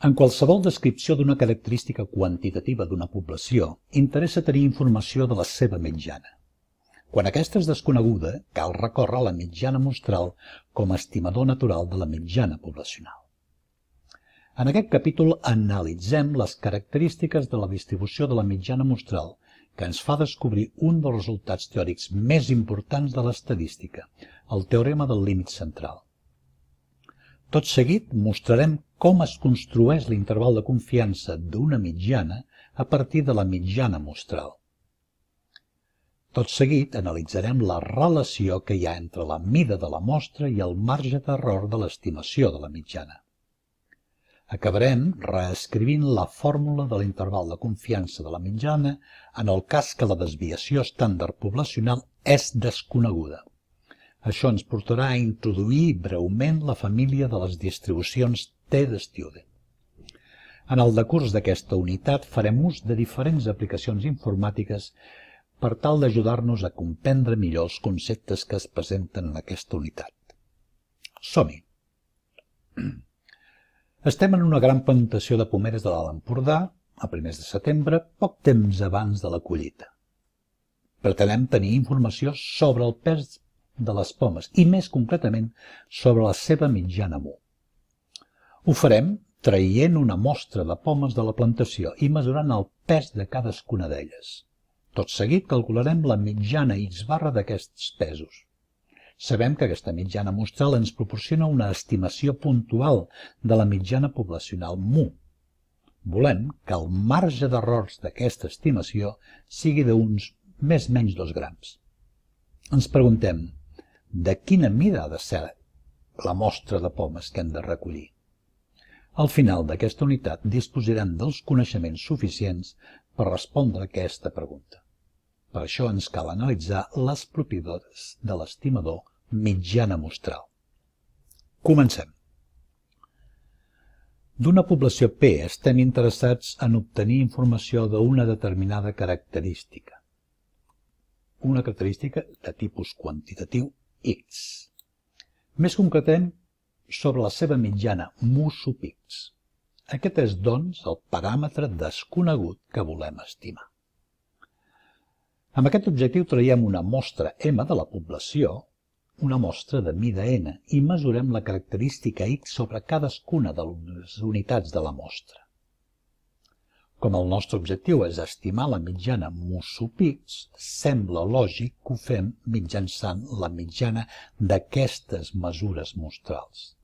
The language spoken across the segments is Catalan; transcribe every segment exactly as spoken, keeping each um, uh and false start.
En qualsevol descripció d'una característica quantitativa d'una població, interessa tenir informació de la seva mitjana. Quan aquesta és desconeguda, cal recórrer a la mitjana mostral com a estimador natural de la mitjana poblacional. En aquest capítol analitzem les característiques de la distribució de la mitjana mostral que ens fa descobrir un dels resultats teòrics més importants de l'estadística, el teorema del límit central. Tot seguit mostrarem com es construeix l'interval de confiança d'una mitjana a partir de la mitjana mostral. Tot seguit analitzarem la relació que hi ha entre la mida de la mostra i el marge d'error de l'estimació de la mitjana. Acabarem reescrivint la fórmula de l'interval de confiança de la mitjana en el cas que la desviació estàndard poblacional és desconeguda. Això ens portarà a introduir breument la família de les distribucions T de-Student. En el decurs d'aquesta unitat farem ús de diferents aplicacions informàtiques per tal d'ajudar-nos a comprendre millor els conceptes que es presenten en aquesta unitat. Som-hi! Estem en una gran plantació de pomeres de l'Alt Empordà, a primers de setembre, poc temps abans de la collita. Pretenem tenir informació sobre el pes de les pomes i, més concretament, sobre la seva mitjana mu. Ho farem traient una mostra de pomes de la plantació i mesurant el pes de cadascuna d'elles. Tot seguit calcularem la mitjana X barra d'aquests pesos. Sabem que aquesta mitjana mostral ens proporciona una estimació puntual de la mitjana poblacional mu. Volem que el marge d'errors d'aquesta estimació sigui d'uns més menys dos grams. Ens preguntem, de quina mida ha de ser la mostra de pomes que hem de recollir? Al final d'aquesta unitat disposarem dels coneixements suficients per respondre a aquesta pregunta. Per això ens cal analitzar les propietats de l'estimador mitjana mostral. Comencem. D'una població P estem interessats en obtenir informació d'una determinada característica. Una característica de tipus quantitatiu X. Més concretem sobre la seva mitjana mu sub X. Aquest és, doncs, el paràmetre desconegut que volem estimar. Amb aquest objectiu traiem una mostra M de la població, una mostra de mida N, i mesurem la característica X sobre cadascuna de les unitats de la mostra. Com el nostre objectiu és estimar la mitjana mu sub X, sembla lògic que ho fem mitjançant la mitjana d'aquestes mesures mostrals.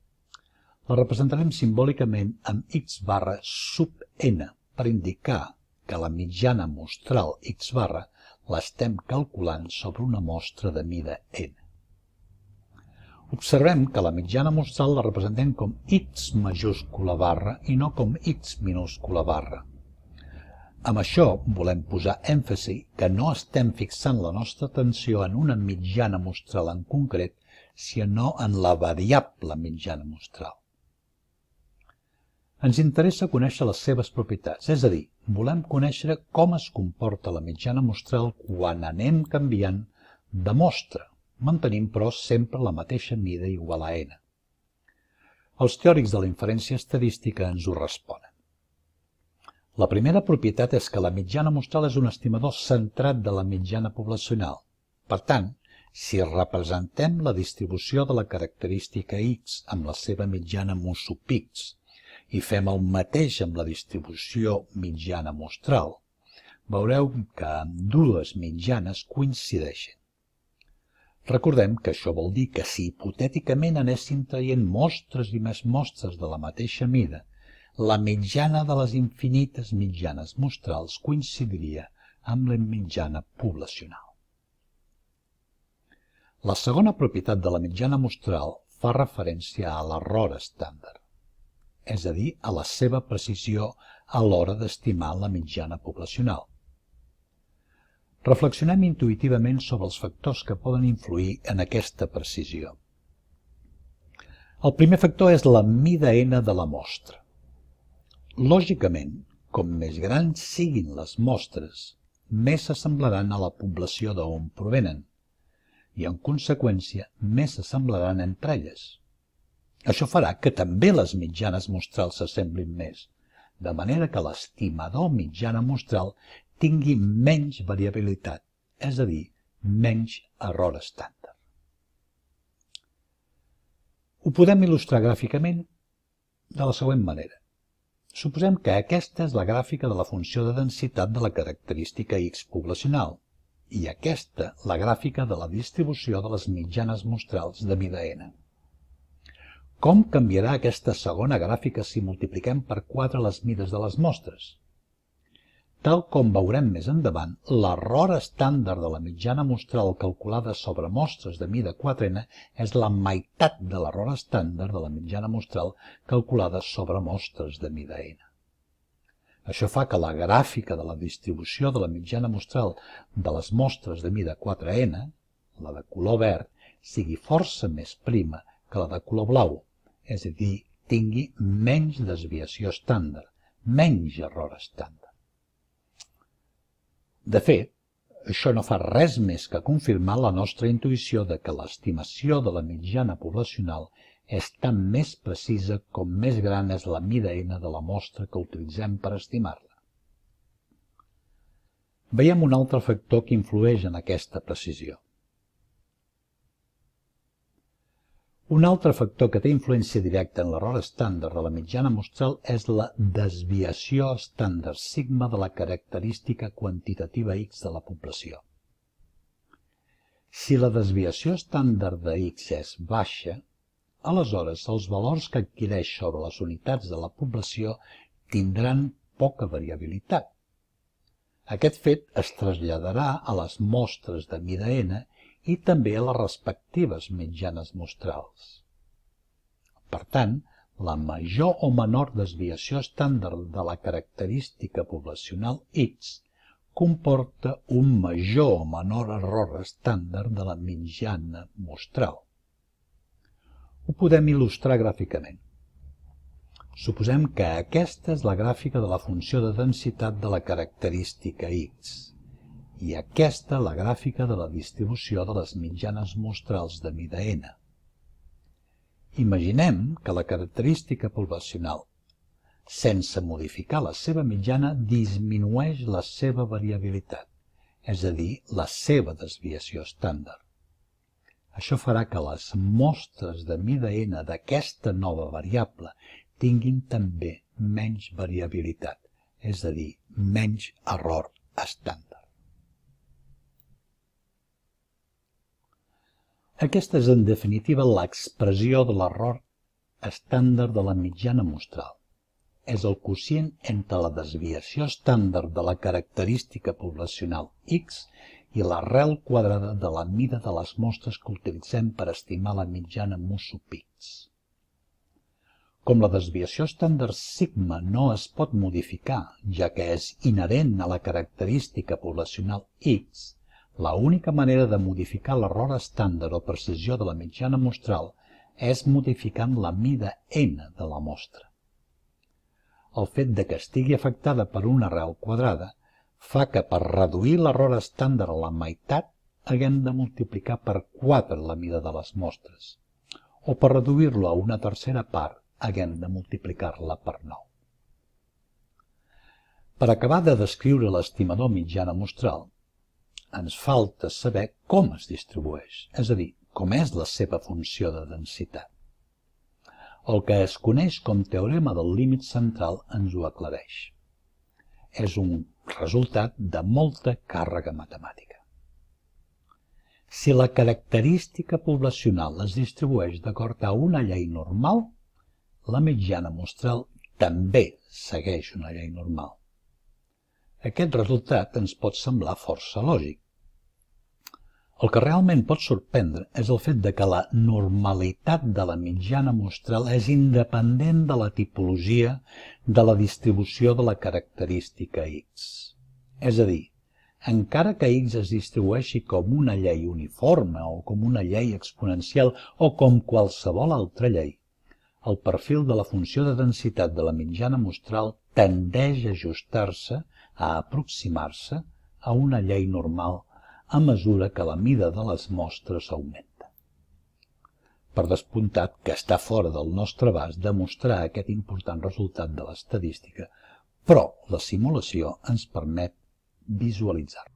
La representarem simbòlicament amb X barra sub N per indicar que la mitjana mostral X barra l'estem calculant sobre una mostra de mida N. Observem que la mitjana mostral la representem com X majúscula barra i no com X minúscula barra. Amb això volem posar èmfasi que no estem fixant la nostra atenció en una mitjana mostral en concret, sinó en la variable mitjana mostral. Ens interessa conèixer les seves propietats, és a dir, volem conèixer com es comporta la mitjana mostral quan anem canviant de mostra, mantenint però sempre la mateixa mida igual a N. Els teòrics de la inferència estadística ens ho responen. La primera propietat és que la mitjana mostral és un estimador centrat de la mitjana poblacional. Per tant, si representem la distribució de la característica X amb la seva mitjana mu sub X i fem el mateix amb la distribució mitjana mostral, veureu que ambdues mitjanes coincideixen. Recordem que això vol dir que si hipotèticament anéssim traient mostres i més mostres de la mateixa mida, la mitjana de les infinites mitjanes mostrals coincidiria amb la mitjana poblacional. La segona propietat de la mitjana mostral fa referència a l'error estàndard, és a dir, a la seva precisió a l'hora d'estimar la mitjana poblacional. Reflexionem intuïtivament sobre els factors que poden influir en aquesta precisió. El primer factor és la mida N de la mostra. Lògicament, com més grans siguin les mostres, més s'assemblaran a la població d'on provenen i, en conseqüència, més s'assemblaran entre elles. Això farà que també les mitjanes mostrals s'assemblin més, de manera que l'estimador mitjana mostral tingui menys variabilitat, és a dir, menys error estàndard. Ho podem il·lustrar gràficament de la següent manera. Suposem que aquesta és la gràfica de la funció de densitat de la característica X poblacional i aquesta la gràfica de la distribució de les mitjanes mostrals de mida n. Com canviarà aquesta segona gràfica si multipliquem per quatre les mides de les mostres? Tal com veurem més endavant, l'error estàndard de la mitjana mostral calculada sobre mostres de mida quatre n és la meitat de l'error estàndard de la mitjana mostral calculada sobre mostres de mida n. Això fa que la gràfica de la distribució de la mitjana mostral de les mostres de mida quatre n, la de color verd, sigui força més prima que la de color blau, és a dir, tingui menys desviació estàndard, menys error estàndard. De fet, això no fa res més que confirmar la nostra intuïció de que l'estimació de la mitjana poblacional és tan més precisa com més gran és la mida n de la mostra que utilitzem per estimar-la. Veiem un altre factor que influeix en aquesta precisió. Un altre factor que té influència directa en l'error estàndard de la mitjana mostral és la desviació estàndard sigma de la característica quantitativa X de la població. Si la desviació estàndard de X és baixa, aleshores els valors que adquireix sobre les unitats de la població tindran poca variabilitat. Aquest fet es traslladarà a les mostres de mida n i també a les respectives mitjanes mostrals. Per tant, la major o menor desviació estàndard de la característica poblacional X comporta un major o menor error estàndard de la mitjana mostral. Ho podem il·lustrar gràficament. Suposem que aquesta és la gràfica de la funció de densitat de la característica X i aquesta la gràfica de la distribució de les mitjanes mostrals de mida n. Imaginem que la característica poblacional, sense modificar la seva mitjana, disminueix la seva variabilitat, és a dir, la seva desviació estàndard. Això farà que les mostres de mida n d'aquesta nova variable tinguin també menys variabilitat, és a dir, menys error estàndard. Aquesta és, en definitiva, l'expressió de l'error estàndard de la mitjana mostral. És el quocient entre la desviació estàndard de la característica poblacional X i l'arrel quadrada de la mida de les mostres que utilitzem per estimar la mitjana mu sub X. Com la desviació estàndard sigma no es pot modificar, ja que és inherent a la característica poblacional X, la única manera de modificar l'error estàndard o precisió de la mitjana mostral és modificant la mida n de la mostra. El fet de que estigui afectada per una arrel quadrada fa que per reduir l'error estàndard a la meitat haguem de multiplicar per quatre la mida de les mostres, o per reduir-lo a una tercera part haguem de multiplicar-la per nou. Per acabar de descriure l'estimador mitjana mostral, ens falta saber com es distribueix, és a dir, com és la seva funció de densitat. El que es coneix com teorema del límit central ens ho aclareix. És un resultat de molta càrrega matemàtica. Si la característica poblacional es distribueix d'acord a una llei normal, la mitjana mostral també segueix una llei normal. Aquest resultat ens pot semblar força lògic. El que realment pot sorprendre és el fet de que la normalitat de la mitjana mostral és independent de la tipologia de la distribució de la característica X. És a dir, encara que X es distribueixi com una llei uniforme o com una llei exponencial o com qualsevol altra llei, el perfil de la funció de densitat de la mitjana mostral tendeix a ajustar-se, a aproximar-se a una llei normal a mesura que la mida de les mostres augmenta. Per descomptat que està fora del nostre abast demostrar aquest important resultat de l'estadística, però la simulació ens permet visualitzar-lo.